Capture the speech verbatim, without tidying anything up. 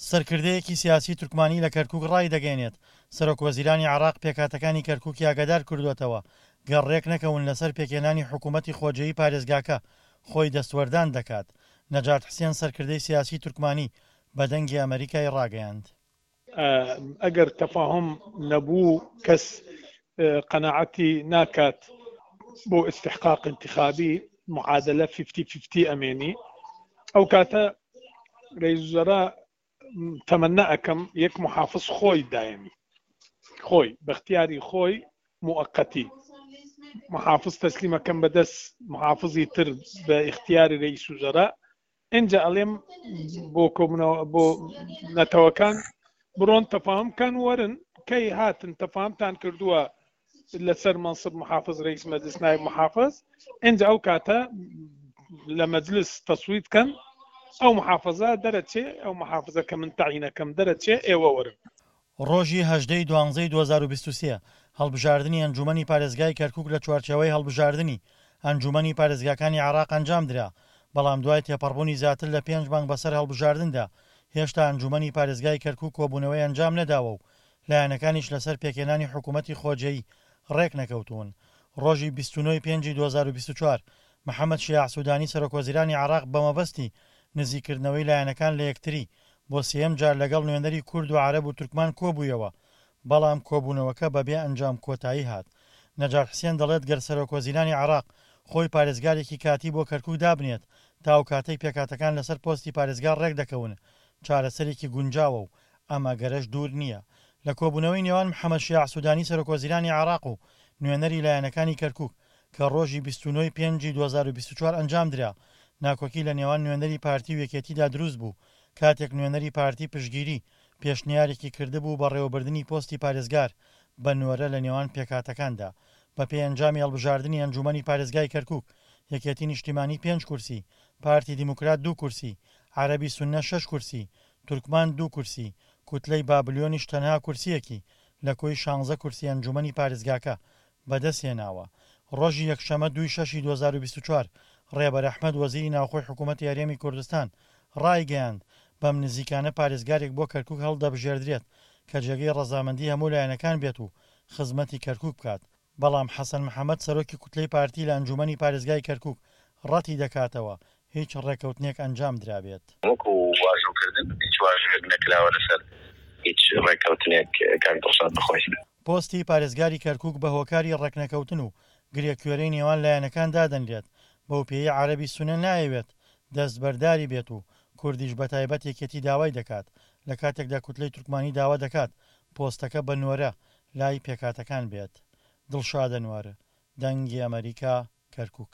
سەرکردەیەکی سیاسی تورکمانی لە کەرکوک ڕایدەگەیەنێت، سەرۆکوەزیرانی عێراق پێکهاتەکانی کەرکوکی ئاگادار کردووەتەوە، گەر ڕێکنەکەون لەسەر پێکهێنانی حکومەتی خۆجێی پارێزگاکە، خۆی دەستوەردان دەکات. نەجات حسێن سەرکردەی سیاسی تورکمانی بە دەنگی ئەمەریکای ڕاگەیاند. ئەگەر تەفاهوم نەبوو کەس قەناعەتی ناکات بۆ ئیستحقاق ئینتخابی، معادلە فیفتی فیفتی ئەمێنی. ئەو کاتە رئیس وزراء تەمەنا ئەکەم یەک محافظ خۆی دایەنی، خۆی بەختیاری خۆی موەقەتی محافظ تەسلیمەکەم بەدەست محافظی تر بە ئیختیاری رئیس وزراء. ئینجا ئەڵێم بۆ کۆبوونەوە بۆ نەتەوەکان بڕۆن تەفاهم کەن وەرن، کەی هاتن تەفاهمتان کردووە لەسەر منصب محافظ رئیس مجلس نایب محافظ، ئینجا ئەو کاتە لە مجلس تەسویت کەن، ئەو محافظە دەرەچێ، ئەو محافظە کە من تەعینەکەم دەرەچێ، ئێوە وەرن. ڕۆژی هەژدە ی دوانزەی دوو هەزار و بیست و سێ هەڵبژاردنی ئەنجوومەنی پارێزگای کەرکوک لە چوارچێوەی هەڵبژاردنی ئەنجوومەنی پارێزگاکانی عێراق ئەنجامدرا، بەڵام دوای تێپەڕبوونی زیاتر لە پێنج مانگ بەسەر هەڵبژاردندا هێشتا ئەنجوومەنی پارێزگای کەرکوک کۆبوونەوەی ئەنجام نەداوە و لایەنەکانیش لەسەر پێکهێنانی حکوومەتی خۆجێی ڕێکنەکەوتوون. ڕۆژی بیست و نۆ ی پێنجی دوو هەزار و بیست و چوار محەمەد شیاع سودانی سەرۆکوەزیرانی عێراق بەمەبەستی نزیککردنەوەی لایەنەکان لە یەکتری بۆ سێیەم جار لەگەڵ نوێنەری کورد و عەرەب و تورکمان کۆبوویەوە، بەڵام کۆبوونەوەکە بەبێ ئەنجام کۆتایی هات. نەجات حسێن دەڵێت گەر سەرۆکوەزیرانی عێراق خۆی پارێزگارێکی کاتی بۆ کەرکوک دابنێت تا ئەو کاتەی پێکهاتەکان لەسەر پۆستی پارێزگار ڕێکدەکەون چارەسەرێکی گونجاوە و ئەم ئەگەرەش دوور نییە. لە کۆبوونەوەی نێوان محەمەد شیاع سودانی سەرۆکوەزیرانی عێراق و نوێنەری لایەنەکانی کەرکوک کە ڕۆژی بیست و نۆ ی پێنجی دوو هەزار و بیست و چوار ئەنجامدرا ناکۆکی لە نێوان نوێنەری پارتی و یەکێتیدا دروست بوو کاتێک نوێنەری پارتی پشتگیری پێشنیارێکی کردبوو بەڕێوەبردنی پۆستی پارێزگار بە نۆرە لە نێوان پێکهاتەکاندا. بەپێی ئەنجامی هەڵبژاردنی ئەنجوومەنی پارێزگای کەرکوک، یەکێتی نیشتیمانی پێنج کورسی، پارتی دیموکرات دوو کورسی، عەرەبی سوننە شەش کورسی، تورکمان دوو کورسی، کوتلەی بابلیۆنیش تەنها کورسییەکی لە کۆی شانزە کورسی ئەنجوومەنی پارێزگاکە بەدەستهێناوە. ڕۆژی یەکشەمە دووی شەشی دوو هەزار و بیست و چوار ڕێبەر ئەحمەد وەزیری ناوخۆی حکوومەتی هەرێمی کوردستان ڕایگەیاند، بەم نزیکانە پارێزگارێک بۆ کەرکوک هەڵدەبژێردرێت کە جێگەی ڕەزامەندی هەموو لایەنەکان بێت و خزمەتی کەرکوک بکات، بەڵام حەسەن محەمەد سەرۆکی کوتلەی پارتی لە ئەنجوومەنی پارێزگای کەرکوک ڕەتی دەکاتەوە هیچ ڕێککەوتنێک ئەنجام درابێت. وەکو واژۆکردن هیچ واژۆیەک نەکراوە لەسەر هیچ ڕێککەوتنێک کاک دڵشاد بەخۆی. پۆستی پارێزگاری کەرکوک بە هۆکاری ڕێکنەکەوتن و گرێکوێرەی نێوان لایەنەکان دادەنرێت، بەوپێیەی عەرەبی سوننە نایەوێت دەستبەرداری بێت و کوردیش بەتایبەت یەکێتی داوای دەکات، لەکاتێکدا کوتلەی تورکمانی داوا دەکات پۆستەکە بە نۆرە لای پێکهاتەکان بێت. دڵشاد ئەنوەر، دەنگی ئەمەریکا، کەرکوک.